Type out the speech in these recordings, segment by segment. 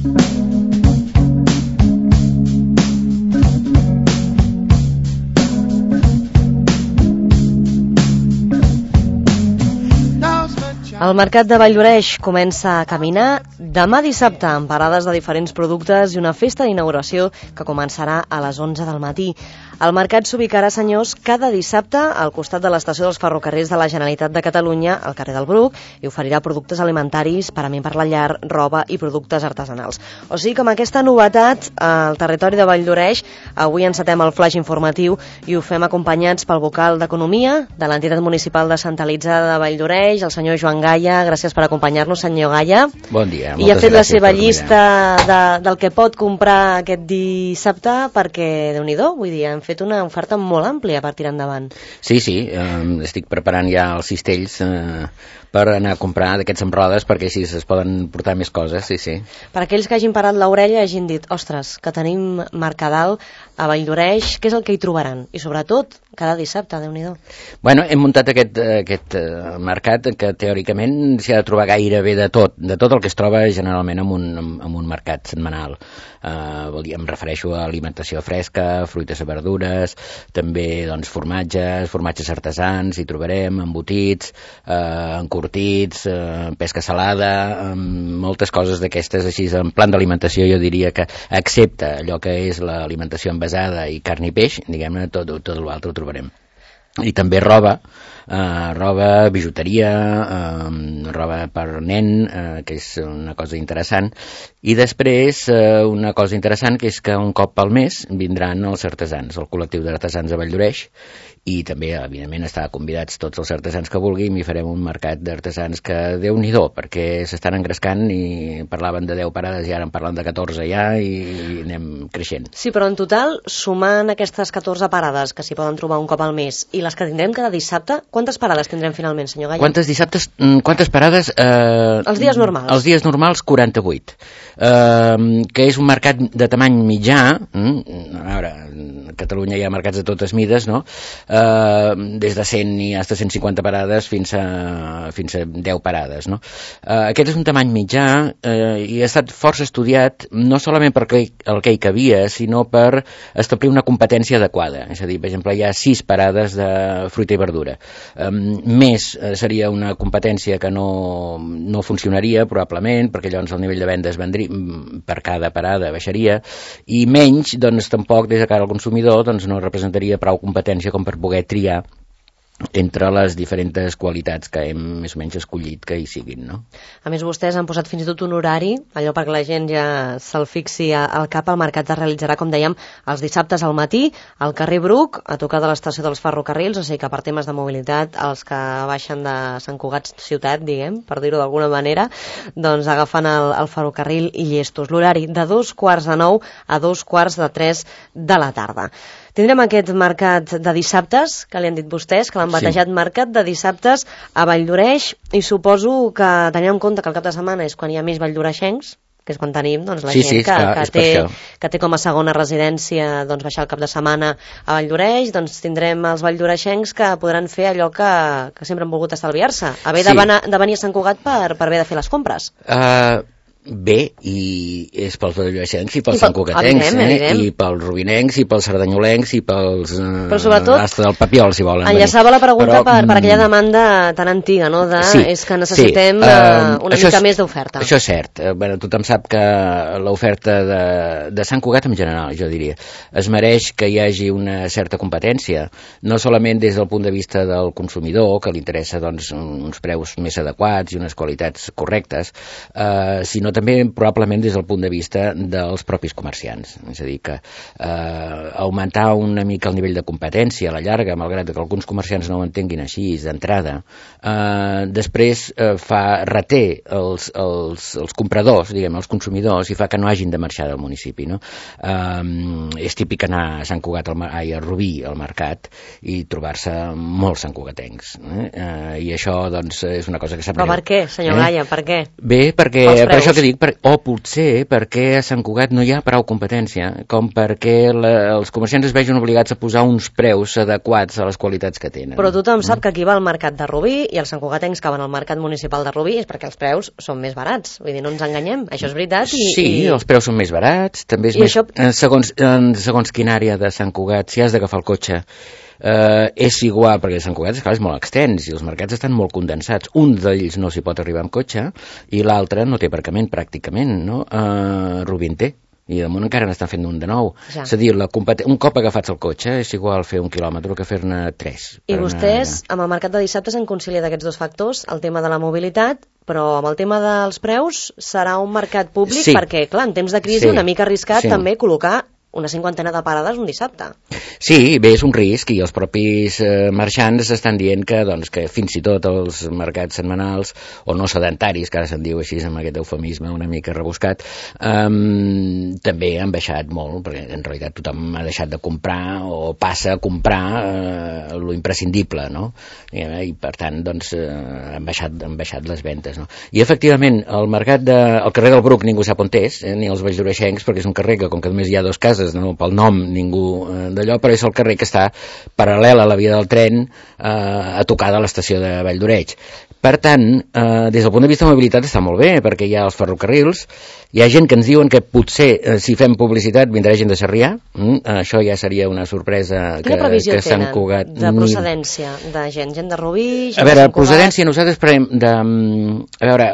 El mercat de Valldoreix comença a caminar demà dissabte amb parades de diferents productes i una festa d'inauguració que començarà a les 11 del matí. El mercat s'ubicarà, senyors, cada dissabte al costat de l'estació dels ferrocarrils de la Generalitat de Catalunya, al carrer del Bruc, i oferirà productes alimentaris, parament per la llar, roba i productes artesanals. O sigui que amb aquesta novetat al territori de Valldoreix avui encetem el flaix informatiu i ho fem acompanyats pel vocal d'Economia de l'entitat municipal descentralitzada de Valldoreix, el senyor Joan Gaya. Gràcies per acompanyar-nos, senyor Gaya. Bon dia. I ha fet la seva llista del que pot comprar aquest dissabte perquè, Déu-n'hi-do, vull dir, han fet una oferta molt àmplia per tirar endavant. Sí, estic preparant ja els cistells per anar a comprar d'aquests amb rodes perquè així es poden portar més coses, sí. Per aquells que hagin parat l'orella i hagin dit, ostres, que tenim Mercadal a Valldoreix, què és el que hi trobaran? I sobretot, cada dissabte, Déu-n'hi-do. Bueno, hem muntat aquest mercat que teòricament s'hi ha de trobar gairebé de tot el que es troba generalment en un mercat setmanal. Vol dir, em refereixo a alimentació fresca, fruites i verdures, també doncs, formatges artesans, hi trobarem, embotits, encurtits, pesca salada, moltes coses d'aquestes així, en plan d'alimentació jo diria que, excepte allò que és l'alimentació envasada i carn i peix, diguem-ne, tot l'altre ho trobarem. I també roba, bijuteria, roba per nen, que és una cosa interessant, i després una cosa interessant que és que un cop al mes vindran els artesans, el col·lectiu d'artesans de Valldoreix, i també, evidentment, estan convidats tots els artesans que vulguin i farem un mercat d'artesans que Déu-n'hi-do, perquè s'estan engrescant i parlaven de 10 parades i ara en parlen de 14 ja i anem creixent. Sí, però en total, sumant aquestes 14 parades que s'hi poden trobar un cop al mes i les que tindrem cada dissabte, quantes parades tindrem finalment, senyor Gaya? Quantes parades? Els dies normals. Els dies normals, 48. Que és un mercat de tamany mitjà. A veure, a Catalunya hi ha mercats de totes mides, no? Des de 100 i fins a 150 parades fins a 10 parades, no? Aquest és un tamany mitjà i ha estat força estudiat no solament per el que hi cabia, sinó per establir una competència adequada. És a dir, per exemple, hi ha 6 parades de fruita i verdura. Més seria una competència que no funcionaria probablement, perquè llavors el nivell de vendes per cada parada baixaria, i menys, doncs tampoc des de cara al consumidor doncs no representaria prou competència com per poder triar entre les diferents qualitats que hem més o menys escollit que hi siguin, no? A més, vostès han posat fins i tot un horari, allò perquè la gent ja se'l fixi al cap. El mercat es realitzarà, com dèiem, els dissabtes al matí, al carrer Bruc, a tocar de l'estació dels ferrocarrils, o sigui que per temes de mobilitat, els que baixen de Sant Cugat ciutat, diguem, per dir-ho d'alguna manera, doncs agafen el ferrocarril i llestos. L'horari de 2:45 a 2:45 de la tarda. Tindrem aquest mercat de dissabtes, que li han dit vostès, que l'han batejat mercat de dissabtes a Valldoreix, i suposo que tenint en compte que el cap de setmana és quan hi ha més valldoreixencs, que és quan tenim doncs, la gent que té com a segona residència doncs, baixar el cap de setmana a Valldoreix, doncs tindrem els valldoreixencs que podran fer allò que sempre han volgut estalviar-se, haver de venir a Sant Cugat per haver de fer les compres. Bé, i és pels valldoreixencs i pels santcugatencs, i pels rubinencs i pels cerdanyolencs i pels hasta del Papiol, si volen. Enllaçava la pregunta per aquella demanda tan antiga, no? És que necessitem una mica més d'oferta. Això és cert. Tothom sap que l'oferta de Sant Cugat en general, jo diria, es mereix que hi hagi una certa competència, no solament des del punt de vista del consumidor, que li interessa doncs, uns preus més adequats i unes qualitats correctes, sinó també probablement des del punt de vista dels propis comerciants. És a dir, que augmentar una mica el nivell de competència a la llarga, malgrat que alguns comerciants no ho entenguin així d'entrada, després reté els compradors, diguem, els consumidors, i fa que no hagin de marxar del municipi, no? És típic anar a Sant Cugat, a Rubí, al mercat, i trobar-se molts santcugatencs. I això, doncs, és una cosa que sap greu. Però per què, senyor Gaya, per què? Bé, perquè per això que que dic, o potser perquè a Sant Cugat no hi ha prou competència, com perquè els comerciants es vegin obligats a posar uns preus adequats a les qualitats que tenen. Però tothom sap que qui va al mercat de Rubí i els santcugatencs que van al mercat municipal de Rubí és perquè els preus són més barats. Vull dir, no ens enganyem, això és veritat. Sí, els preus són més barats, també és més... Segons quina àrea de Sant Cugat, si has d'agafar el cotxe, és igual, perquè Sant Cugat és molt extens i els mercats estan molt condensats. Un d'ells no s'hi pot arribar amb cotxe i l'altre no té aparcament pràcticament, no? Rubí en té. I damunt encara n'estan fent un de nou. Ja. És a dir, un cop agafats el cotxe és igual fer 1 quilòmetre que fer-ne 3. I vostès, amb el mercat de dissabtes, han conciliat aquests dos factors, el tema de la mobilitat, però amb el tema dels preus serà un mercat públic, perquè, clar, en temps de crisi una mica arriscat també col·locar una 50ena de parades un dissabte. Sí, bé, és un risc i els propis marxants estan dient que fins i tot els mercats setmanals o no sedentaris, que ara se'n diu així amb aquest eufemisme una mica rebuscat, també han baixat molt, perquè en realitat tothom ha deixat de comprar o passa a comprar lo imprescindible, no? I per tant, han baixat les ventes, no? I efectivament, el carrer del Bruc ningú sap on és, ni els valldoreixencs, perquè és un carrer que, com que només hi ha 2 cases, no, pel nom ningú d'allò, però és el carrer que està paral·lel a la via del tren a tocar de l'estació de Valldoreix. Per tant, des del punt de vista de mobilitat està molt bé, perquè hi ha els ferrocarrils, hi ha gent que ens diuen que potser si fem publicitat vindrà gent de Sarrià, això ja seria una sorpresa. Quina previsió tenen de procedència de gent de Rubí, gent de Sant Cugat? A veure, procedència nosaltres prenem a veure,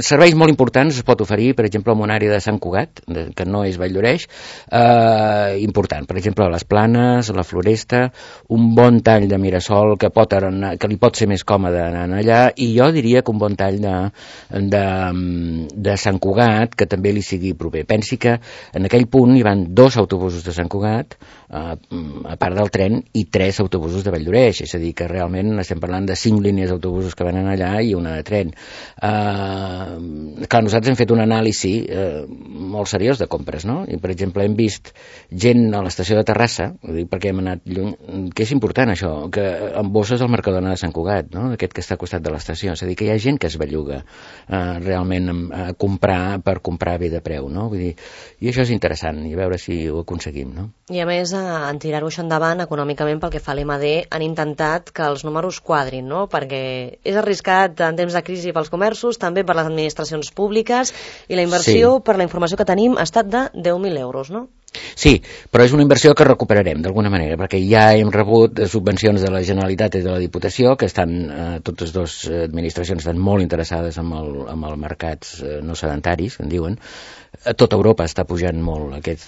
serveis molt importants es pot oferir, per exemple, en una àrea de Sant Cugat, que no és Valldoreix, important. Per exemple, les Planes, la Floresta, un bon tall de Mirasol que li pot ser més còmode anar allà, i jo diria que un bon tall de Sant Cugat, que també li sigui proper. Pensi que en aquell punt hi van 2 autobusos de Sant Cugat, a part del tren, i 3 autobusos de Valldoreix, és a dir, que realment estem parlant de 5 línies d'autobusos que venen allà i una de tren. Clar, nosaltres hem fet un anàlisi molt seriós de compres, no? I, per exemple, hem vist gent a l'estació de Terrassa, perquè hem anat lluny, que és important això, que amb bosses al Mercadona de Sant Cugat, no? Aquest que està al costat de l'estació, és a dir, que hi ha gent que es belluga realment a comprar per comprar bé de preu, no? Vull dir, i això és interessant, i a veure si ho aconseguim, no? I a més, en tirar-ho això endavant econòmicament pel que fa a l'MD, han intentat que els números quadrin, no? Perquè és arriscat en temps de crisi pels comerços, també per les administracions públiques, i la inversió, per la informació que tenim, ha estat de 10.000 euros, no? Sí, però és una inversió que recuperarem d'alguna manera, perquè ja hem rebut subvencions de la Generalitat i de la Diputació, que estan, totes dues administracions estan molt interessades en els mercats no sedentaris, que en diuen. A tota Europa està pujant molt aquest,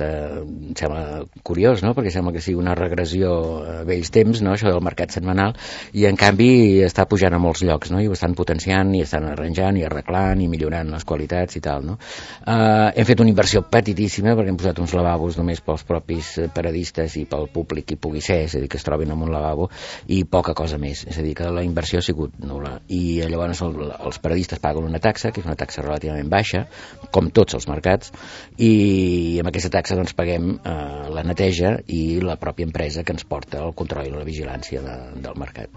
sembla curiós, no? Perquè sembla que sigui una regressió a vells temps, no? Això del mercat setmanal, i en canvi està pujant a molts llocs, no? I ho estan potenciant, i estan arranjant, i arreglant, i millorant les qualitats i tal, no? Hem fet una inversió petitíssima, perquè hem posat uns lavabos només pels propis paradistes i pel públic que pugui ser, és a dir, que es trobin en un lavabo, i poca cosa més, és a dir, que la inversió ha sigut nul·la, i llavors els paradistes paguen una taxa, que és una taxa relativament baixa, com tots els mercats, i amb aquesta taxa doncs paguem la neteja i la pròpia empresa que ens porta el control i la vigilància del mercat.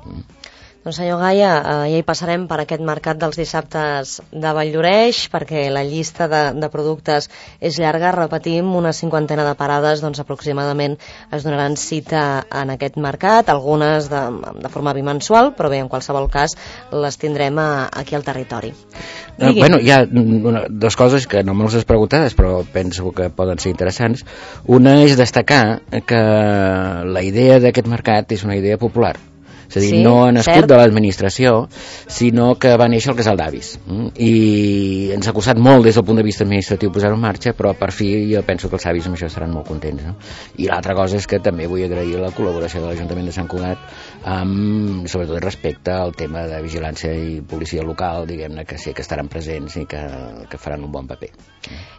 Doncs senyor Gaia, ja hi passarem per aquest mercat dels dissabtes de Valldoreix, perquè la llista de productes és llarga, repetim, una 50ena de parades, doncs aproximadament es donaran cita en aquest mercat, algunes de forma bimensual, però bé, en qualsevol cas les tindrem aquí al territori. Bueno, hi ha dues coses que no me les has preguntades, però penso que poden ser interessants. Una és destacar que la idea d'aquest mercat és una idea popular. És a dir, no ha nascut de l'administració, sinó que va néixer al casal d'avis. I ens ha costat molt des del punt de vista administratiu posar-ho en marxa, però per fi jo penso que els avis amb això estaran molt contents, no? I l'altra cosa és que també vull agrair la col·laboració de l'Ajuntament de Sant Cugat, sobretot respecte al tema de vigilància i policia local, diguem-ne, que sé que estaran presents i que faran un bon paper.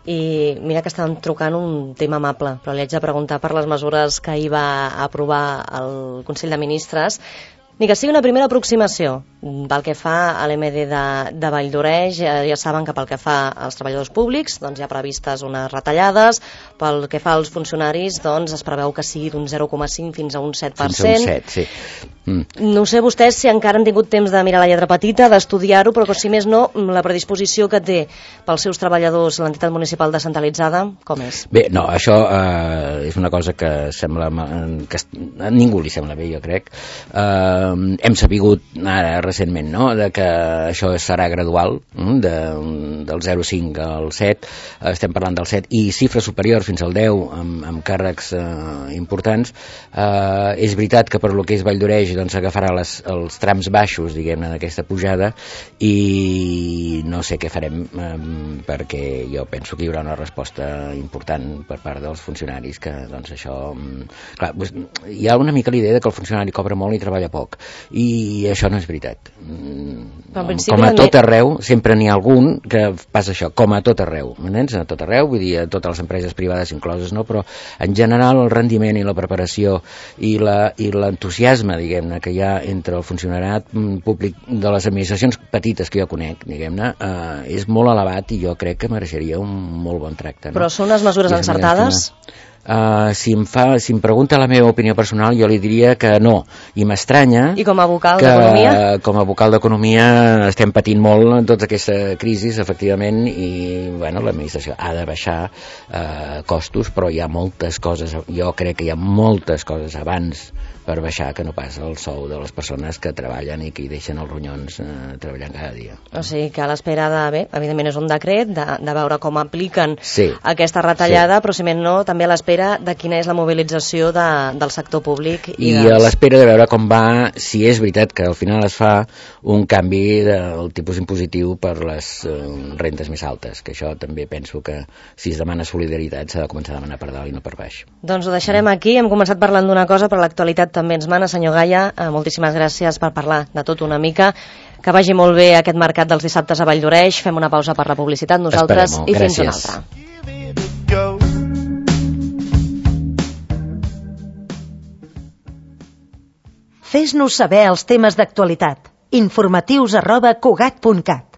I mira que estan trucant un tema amable, però li haig de preguntar per les mesures que ahir va aprovar el Consell de Ministres, Ni que sigui una primera aproximació pel que fa a l'MD de Valldoreix. Ja saben que pel que fa als treballadors públics doncs hi ha previstes unes retallades, pel que fa als funcionaris doncs es preveu que sigui d'un 0,5 fins a un 7%. Fins a un 7, sí. No sé vostès si encara han tingut temps de mirar la lletra petita, d'estudiar-ho, però si més no, la predisposició que té pels seus treballadors l'entitat municipal descentralitzada, com és? Bé, no, això és una cosa que sembla que a ningú li sembla bé, jo crec. Hem sabut ara recentment, no?, de que això serà gradual, del 0,5 al 7, estem parlant del 7, i xifres superiors fins al 10 amb càrrecs importants. És veritat que per lo que és Valldoreix doncs agafarà els trams baixos, diguem-ne, d'aquesta pujada, i no sé què farem, perquè jo penso que hi haurà una resposta important per part dels funcionaris, que doncs això... Clar, hi ha una mica l'idea que el funcionari cobra molt i treballa poc, i això no és veritat. Com a tot arreu, sempre n'hi ha algun que passa això, com a tot arreu, m'entens? A tot arreu, vull dir, a totes les empreses privades incloses, no? Però en general el rendiment i la preparació i l'entusiasme, diguem-ne, que hi ha entre el funcionariat públic de les administracions petites que jo conec, diguem-ne, és molt elevat, i jo crec que mereixeria un molt bon tracte, no? Però són unes mesures encertades? Si em pregunta la meva opinió personal, jo li diria que no, i m'estranya. I com a vocal d'Economia? Com a vocal d'Economia estem patint molt en tota aquesta crisi, efectivament, i bueno, l'administració ha de baixar costos, però hi ha moltes coses, jo crec que hi ha moltes coses abans per baixar que no pas el sou de les persones que treballen i que hi deixen els ronyons treballant cada dia. O sigui que a l'espera de, bé, evidentment és un decret, de veure com apliquen aquesta retallada, però si més no, també a l'espera de quina és la mobilització del sector públic. I a l'espera de veure com va, si és veritat que al final es fa un canvi del tipus impositiu per les rendes més altes, que això també penso que si es demana solidaritat s'ha de començar a demanar per dalt i no per baix. Doncs ho deixarem aquí, hem començat parlant d'una cosa, però l'actualitat també ens mana. Senyor Gaya, moltíssimes gràcies per parlar de tot una mica. Que vagi molt bé aquest mercat dels dissabtes a Valldoreix. Fem una pausa per la publicitat nosaltres i fins una altra. Fes-nos saber els temes d'actualitat. informatius@cugat.cat